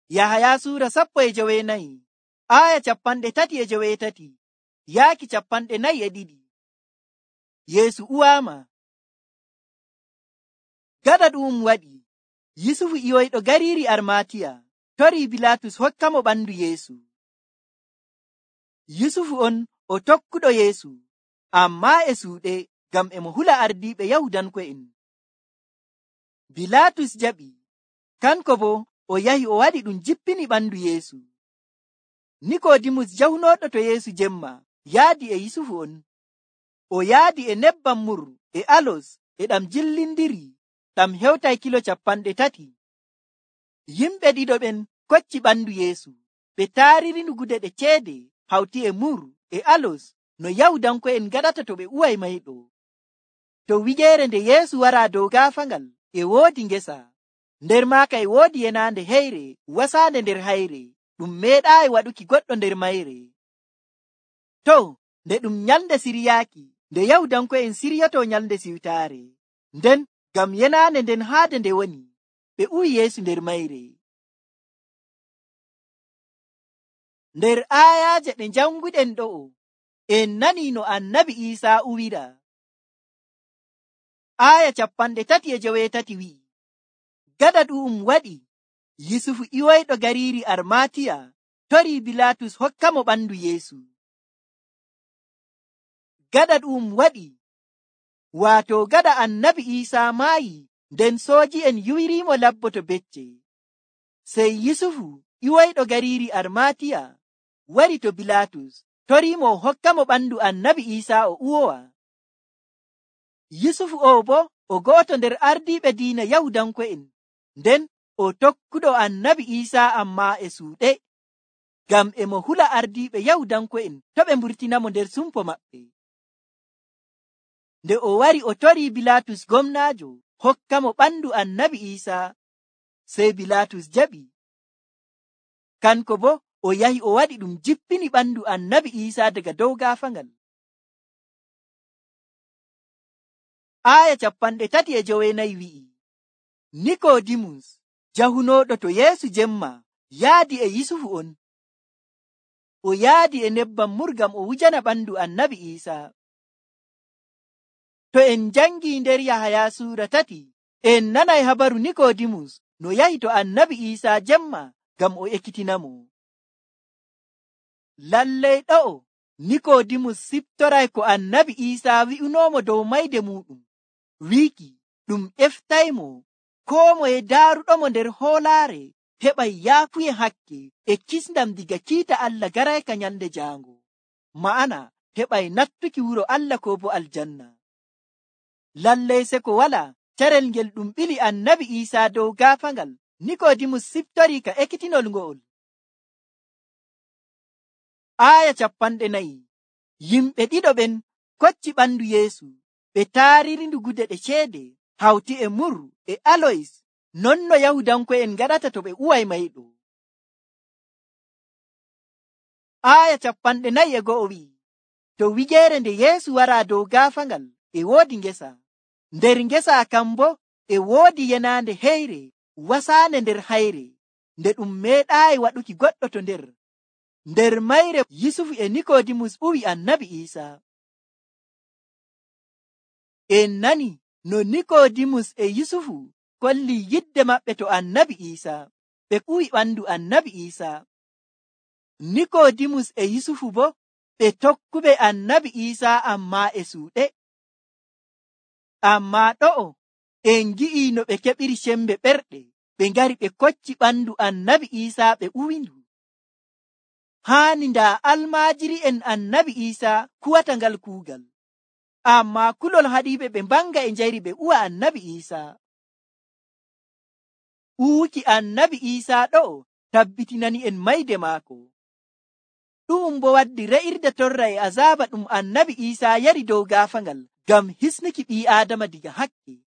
Yahaya suura 14 aya 33 yaaki 42. Yeesu uwaama. Gaɗa ɗum waɗi, Yusufu iwoyɗo gariiri Armatiya torii Bilaatus hokka mo ɓandu Yeesu. Yusufu on o tokkuɗo Yeesu, ammaa e suuɗe ngam e mo hula ardiiɓe Yahudanko'en. Bilaatus jaɓi, kanko bo o yahi o waɗi ɗum jippini ɓandu Yeesu. Nikoodimus jahunooɗo to Yeesu jemma yaadi e Yusufu on. O yaadi e nebbam mur e alos e ɗam jillindiri ɗam hewtay kilo 30. Yimɓe ɗiɗo ɓen kocci ɓandu Yeesu, ɓe taaririndu gude ɗe ceede hawti e mur e alos no Yahudanko'en gaɗata to ɓe uway mayɗo. To wigeere nde Yeesu waraa dow gaafangal e woodi ngesa, nder maaka e woodi yenaande heyre wasaande nder hayre ɗum meeɗaayi waɗuki goɗɗo nder mayre. To, nde ɗum nyalnde siryaaki, nde Yahudanko'en siryoto nyalnde siwtaare, nden ngam yenaande nden haade nde woni, ɓe uwi Yeesu nder mayre. Nder aayaaje ɗe janguɗen ɗo'o, en nanii no Annabi Iisaa uwira. Aaya 38 wi'i, gaɗa ɗum waɗi, Yusufu iwoyɗo gariiri Armatiya torii Bilaatus hokka mo ɓandu Yeesu. Gaɗa ɗum waɗi, waato gaɗa Annabi Iisaa maayi, nden sooji'en yuwiriimo labbo to becce. Sey Yusufu iwoyɗo gariiri Armatiya wari to Bilaatus toriimo o hokka mo ɓandu Annabi Iisaa o uwowa. Yusufu o bo o go'oto nder ardiiɓe diina Yahudanko'en, nden o tokkuɗo Annabi Iisaa ammaa e suuɗe, ngam e mo hula ardiiɓe Yahudanko'en to ɓe mburtinamo nder sumpo maɓɓe. Nde o wari o torii Bilaatus gomnaajo hokka mo ɓandu Annabi Iisaa, sey Bilaatus jaɓi. Kanko bo o yahi o waɗi ɗum jippini ɓandu Annabi Iisaa daga dow gaafangal. Aaya 39 wi'i, Nikoodimus jahunooɗo to Yeesu jemma yaadi e Yusufu on. O yaadi e nebbam mur ngam o wujana ɓandu Annabi Iisaa. To en jangii nder Yahaya suura 3, en nanay habaru Nikoodimus no yahi to Annabi Iisaa jemma ngam o ekkitinamo. Lallay ɗo'o Nikoodimus siftoray ko Annabi Iisaa wi'unoomo dow mayde muɗum, wiiki ɗum eftaymo koo moye daaruɗomo nder hoolaare heɓay yaafuye hakke e kisndam diga kiita Allah garayka nyalnde jaango, ma'ana heɓay nattuki wuro Allah ko bo aljanna. Lallay se ko walaa carel ngel ɗum ɓili Annabi Iisaa dow gaafangal, Nikoodimus siftorii ka ekkitinol ngo'ol. Aaya 40. Yimɓe ɗiɗo ɓen kocci ɓandu Yeesu, ɓe taaririndu gude ɗe ceede hawti e mur e aloys, non no Yahudanko'en gaɗata to ɓe uway mayɗo. Aaya 41 wi'i, to wigeere nde Yeesu waraa dow gaafangal e woodi ngesa, nder ngesa kan bo e woodi yenaande heyre wasaande nder hayre, nde ɗum meeɗaayi waɗuki goɗɗo to nder. Nder mayre Yusufu e Nikoodimus uwi Annabi Iisaa. En nani no Nikoodimus e Yusufu kolli yidde maɓɓe to Annabi Iisaa, ɓe uwi ɓandu Annabi Iisaa. Nikoodimus e Yusufu bo ɓe tokkuɓe Annabi Iisaa ammaa e suuɗe. Ammaa ɗo'o en ngi'i no ɓe keɓiri sembe ɓerɗe, ɓe ngari ɓe kocci ɓandu Annabi Iisaa ɓe uwindu. Haani ndaa almaajiri'en Annabi Iisaa kuwata ngal kuugal, ammaa kulol haɗiiɓe ɓe mbanga e njayri ɓe uwa Annabi Iisaa. Uwuki Annabi Iisaa ɗo'o tabbitinani en mayde maako. Ɗum bo waddi re'irde torra e azaaba ɗum Annabi Iisaa yari dow gaafangal ngam hisnuki ɓii Aadama diga hakke.